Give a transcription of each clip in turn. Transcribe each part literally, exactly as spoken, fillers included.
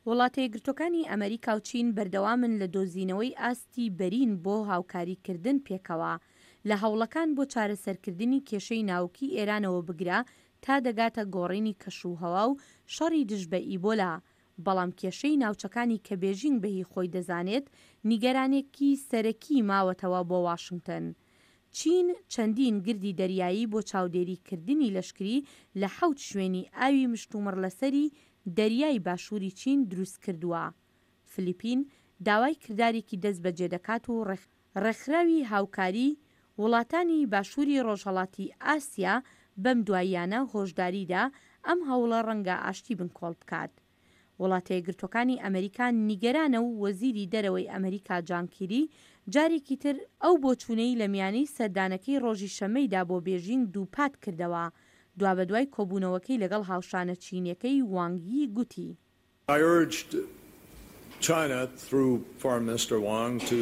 وڵاتە یەکگرتووەکانی ئەمەریکا و چین بەردەوامن لە دۆزینەوەی ئاستی بەرین بۆ هاوکاریکردن پێکەوە لە هەوڵەکان بۆ چارەسەرکردنی کێشەی ناوکی ئێرانەوە بگرە تا دەگاتە گۆڕینی کەشوهەوا و شەڕی دژ بە ئیبۆلا، بەڵام کێشەی ناوچەکانی کە بێژینگ بە هی خۆی دەزانێت نیگەرانێکی سەرەکی ماوەتەوە بۆ واشنگتن. چین چەندین گردی دەریایی بۆ چاودێریکردنی لەشکری لە حەوت شوێنی ئاوی مشتومڕلەسەری دەریای باشووری چین دروستکردووە. فلیپین داوای کردارێکی دەستبەجێ دەکات و ڕێکخراوی هاوکاری وڵاتانی باشووری ڕۆژهەڵاتی ئاسیا بەم دواییانە هۆشداریدا ئەم هەوڵە ڕەنگە ئاشتی بنکۆڵ بکات. وڵاتە یەکگرتووەکانی ئەمریکا نیگەرانە و وەزیری دەرەوەی ئەمریکا جان کیری جارێکی تر ئەو بۆچوونەی لە میانەی سەردانەکەی ڕۆژی شەممەیدا بۆ بێژینگ دووپات کردەوە، دوابەدوای کۆبوونەوەکەی لەگەڵ هاوشانە چینیەکەی وانگ یی گوتی. I urged China through Foreign Minister Wang to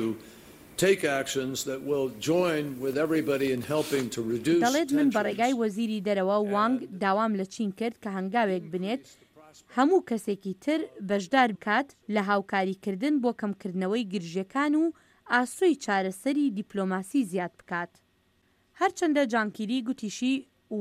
take actions that will join with everybody in helping to reduce دەڵێت من بە tensions ڕێگای وەزیری دەرەوە وانگ and داوام لە چین کرد کە هەنگاوێک بنێت هەموو کەسێکی تر بەشدار بکات لە هاوکاریکردن بۆ کەمکردنەوەی گرژیەکان و ئاسۆی چارەسەری دیپلۆماسی زیاد بکات. هەرچەندە جان کیری گوتیشی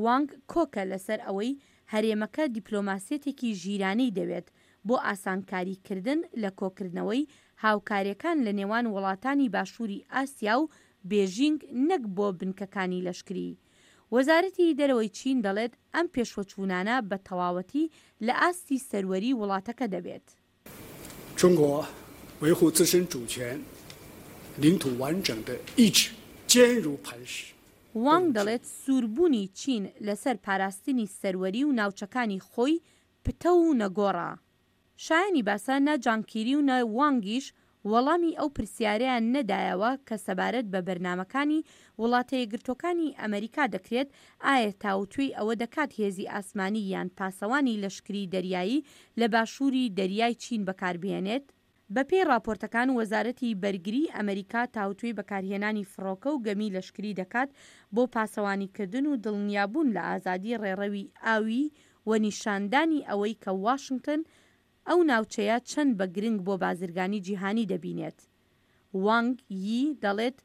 وانگ کۆکە لەسەر ئەوەی هەرێمەکە دیپلۆماسیەتێکی ژیرانەی دەوێت بۆ ئاسانکاریکردن لە کۆکردنەوەی هاوکاریەکان لە نێوان وڵاتانی باشووری ئاسیا و بێژینگ نەک بۆ بنکەکانی لەشکری. وەزارەتی دەرەوەی چین دەڵێت ئەم پێشوەچوونانە بە تەواوەتی لە ئاستی سەروەری وڵاتەکە دەبێت. 中国维护自身主权、领土完整的意志坚如磐石。 وانگ دەڵێت سووربوونی چین لەسەر پاراستنی سەروەری و ناوچەکانی خۆی پتەو و نەگۆڕە. شایانی باسە نە جان کیری و نە وانگیش وەڵامی ئەو پرسیارەیان نەدایەوە کە سەبارەت بە بەرنامەکانی وڵاتە یەکگرتووەکانی ئەمریکا دەکرێت ئایا تاوتوێی ئەوە دەکات هێزی ئاسمانی یان پاسەوانی لەشکری دەریایی لە باشووری دەریای چین بەکاربهێنێت. بەپێی ڕاپۆرتەکان وەزارەتی بەرگری ئەمریکا تاوتوێی بەکارهێنانی فڕۆکە و گەمی لەشکری دەکات بۆ پاسەوانیکردن و دڵنیابوون لە ئازادی ڕێڕەوی ئاوی و نیشاندانی ئەوەی کە واشنگتن ئەو ناوچەیە چەند بە گرنگ بۆ بازرگانی جیهانی دەبینێت. وانگ یی دەڵێت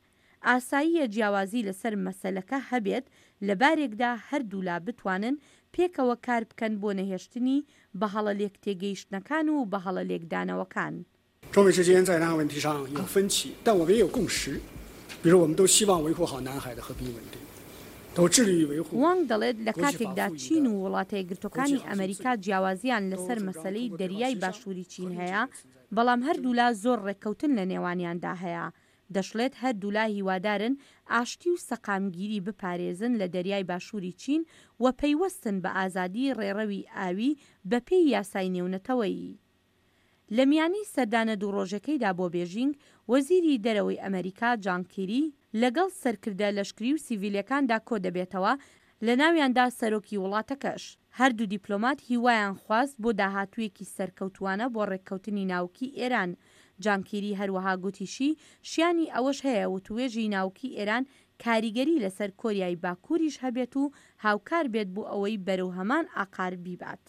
ئاساییە جیاوازی لەسەر مەسەلەکە هەبێت لە بارێکدا هەردوولا بتوانن پێکەوە کار بکەن بۆ نەهێشتنی بەهەڵە لێکتێگەیشتنەکان و بەهەڵە لێکدانەوەکان. 中美之间在南海问题上有分歧，但我们也有共识，比如我们都希望维护好南海的和平稳定，都致力于维护 وانگ دەڵێت لە کاتێکدا چین و وڵاتە یەکگرتووەکانی ئەمریکا جیاوازیان لەسەر مەسەلەی دەریای باشووری چین هەیە، بەڵام هەردوولا زۆر ڕێککەوتن لە نێوانیاندا هەیە. دەشڵێت هەردوولا هیوادارن ئاشتی و سەقامگیری بپارێزن لە دەریای باشووری چین و پەیوەستن بە ئازادی ڕێڕەوی ئاوی بەپێی یاسای نێونەتەوەیی. لە میانی سەردانە دوو ڕۆژەکەیدا بۆ بێژینگ، وەزیری دەرەوەی ئەمریکا جان کیری لەگەڵ سەرکردە لەشکری و سیڤیلەکاندا کۆ دەبێتەوە، لە ناویاندا سەرۆکی وڵاتەکەش. هەردوو دیپلۆمات هیوایان خواست بۆ داهاتوویەکی سەرکەوتوانە بۆ ڕێککەوتنی ناوکی ئێران. جان کیری هەروەها گوتیشی شیانی ئەوەش هەیە وتوێژی ناوکی ئێران کاریگەری لەسەر کۆریای باکووریش هەبێت و هاوکار بێت بۆ ئەوەی بەرەو هەمان ئاقار بیبات.